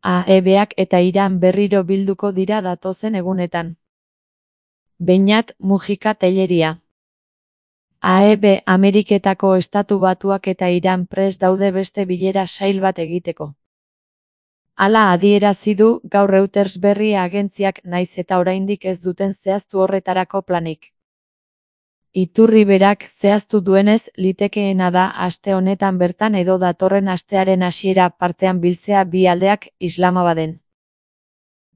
AEBak eta Iran berriro bilduko dira datozen egunetan. Beñat Mujika Telleria. AEB Ameriketako Estatu Batuak eta Iran prest daude beste bilera sail bat egiteko. Hala adierazi du gaur Reuters berri agentziak naiz eta oraindik ez duten zehaztu horretarako planik. Iturri berak zehaztu duenez, litekeena da aste honetan bertan edo datorren astearen hasiera partean biltzea bi aldeak Islamabaden.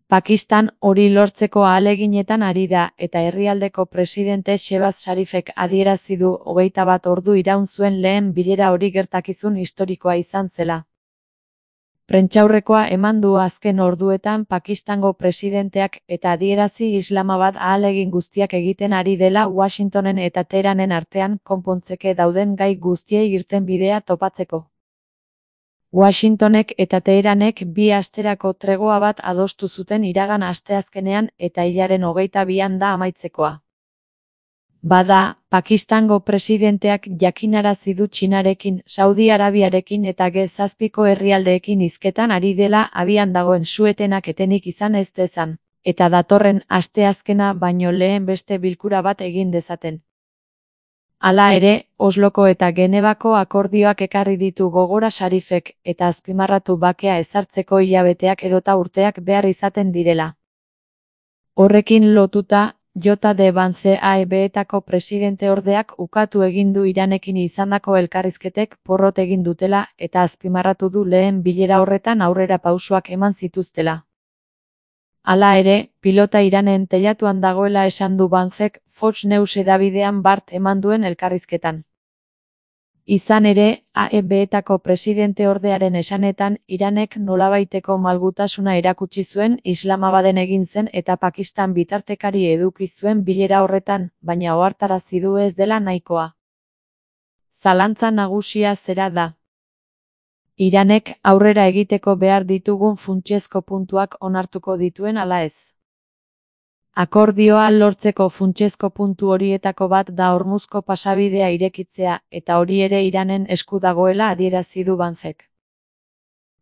Pakistan hori lortzeko ahaleginetan ari da eta herrialdeko presidente Shehbaz Sharifek adierazi du 21 ordu iraun zuen lehen bilera hori gertakizun historikoa izan zela. Prentsaurrekoa eman du azken orduetan Pakistango presidenteak eta adierazi Islamabad ahalegin guztiak egiten ari dela Washingtonen eta Teheranen artean konpontzeke dauden gai guztiei irtenbidea topatzeko. Washingtonek eta Teheranek 2 asterako tregoa bat adostu zuten iragan asteazkenean eta hilaren 22an da amaitzekoa. Bada, Pakistango presidenteak jakinarazi du Txinarekin, Saudi Arabiarekin eta G7ko herrialdeekin hizketan ari dela abian dagoen su-etenak etenik izan ez dezan, eta datorren asteazkena baino lehen beste bilkura bat egin dezaten. Hala ere, Osloko eta Genebako akordioak ekarri ditu gogora Sharifek eta azpimarratu bakea ezartzeko hilabeteak edota urteak behar izaten direla. Horrekin lotuta, J.D. Vance AEBetako presidente ordeak ukatu egin du Iranekin izandako elkarrizketek porrot egin dutela eta azpimarratu du lehen bilera horretan aurrera pausoak eman zituztela. Hala ere, pilota Iranen teilatuan dagoela esan du Vancek Fox News hedabidean bart eman duen elkarrizketan. Izan ere, AEBetako presidente ordearen esanetan, Iranek nolabaiteko malgutasuna erakutsi zuen Islamabaden egin zen eta Pakistan bitartekari eduki zuen bilera horretan, baina ohartarazi du ez dela nahikoa. Zalantza nagusia zera da. Iranek aurrera egiteko behar ditugun funtsezko puntuak onartuko dituen ala ez. Akordioa lortzeko funtsezko puntu horietako bat da Hormuzko pasabidea irekitzea eta hori ere Iranen esku dagoela adierazi du Vancek.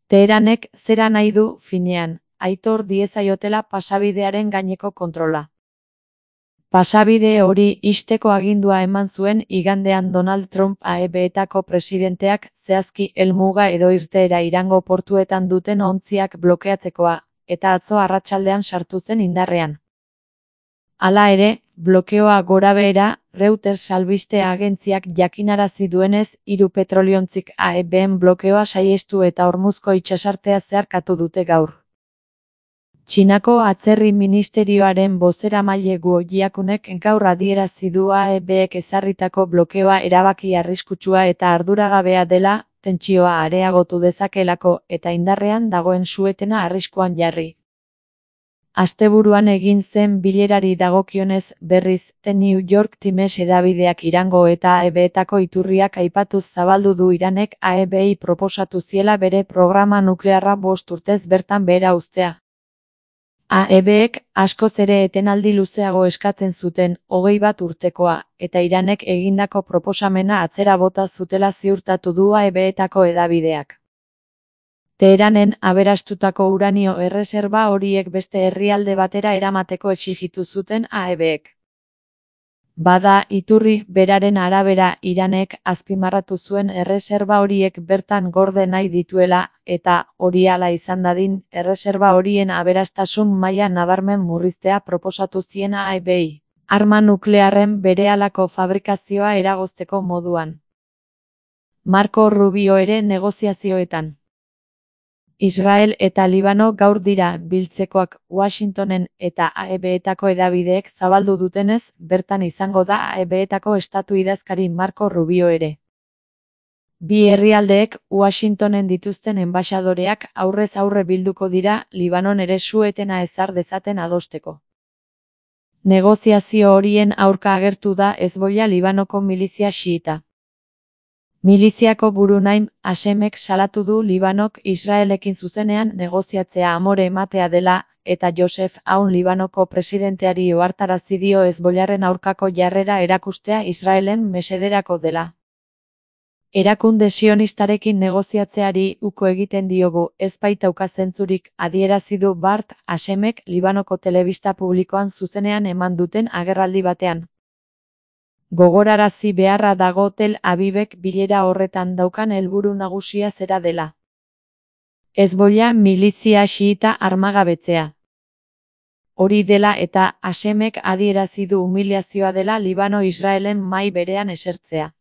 Teheranek zera nahi du, finean, aitor diezaiotela pasabidearen gaineko kontrola. Pasabide hori ixteko agindua eman zuen igandean Donald Trump AEBetako presidenteak zehazki helmuga edo irteera Irango portuetan duten ontziak blokeatzekoa, eta atzo arratsaldean sartu zen indarrean. Hala ere, blokeoa gorabehera, Reuters albiste agentziak jakinarazi duenez, 3 petroliontzik AEBen blokeoa saihestu eta Hormuzko itsasartea zeharkatu dute gaur. Txinako atzerri ministerioaren bozeramaile Guo Jiakunek gaur adierazi du AEBek ezarritako blokeoa erabaki arriskutsua eta arduragabea dela, tentsioa areagotu dezakeelako eta indarrean dagoen su-etena arriskuan jarri. Asteburuan egin zen bilerari dagokionez, berriz, The New York Times hedabideak Irango eta AEBetako iturriak aipatuz zabaldu du Iranek AEBei proposatu ziela bere programa nuklearra 5 urtez bertan behera uztea. AEBek askoz ere etenaldi luzeago eskatzen zuten, 21 urtekoa, eta Iranek egindako proposamena atzera bota zutela ziurtatu du AEBetako hedabideak. Teheranen aberastutako uranio erreserba horiek beste herrialde batera eramateko exigitu zuten AEBek. Bada, iturri beraren arabera Iranek azpimarratu zuen erreserba horiek bertan gorde nahi dituela, eta, hori hala izan dadin, erreserba horien aberastasun maila nabarmen murriztea proposatu zien AEBei, arma nuklearren berehalako fabrikazioa eragozteko moduan. Marco Rubio ere negoziazioetan. Israel eta Libano gaur dira biltzekoak Washingtonen eta AEBetako hedabideek zabaldu dutenez, bertan izango da AEBetako estatu idazkari Marco Rubio ere. Bi herrialdeek Washingtonen dituzten enbaxadoreak aurrez aurre bilduko dira Libanon ere su-etena ezar dezaten adosteko. Negoziazio horien aurka agertu da Hezbollah Libanoko milizia xiita. Miliziako buru Naim Hasemek salatu du Libanok Israelekin zuzenean negoziatzea amore ematea dela, eta Joseph Aoun Libanoko presidenteari ohartarazi dio Hezbollaren aurkako jarrera erakustea Israelen mesederako dela. Erakunde sionistarekin negoziatzeari uko egiten diogu, ez baitauka zentzurik, adierazi du Bart Hashemek Libanoko telebista publikoan zuzenean eman duten agerraldi batean. Gogorarazi beharra dago Tel Avivek bilera horretan daukan helburu nagusia zera dela. Hezbollah milizia xiita armagabetzea. Hori dela eta Hashemek adierazi du humiliazioa dela Libano Israelen mahai berean esertzea.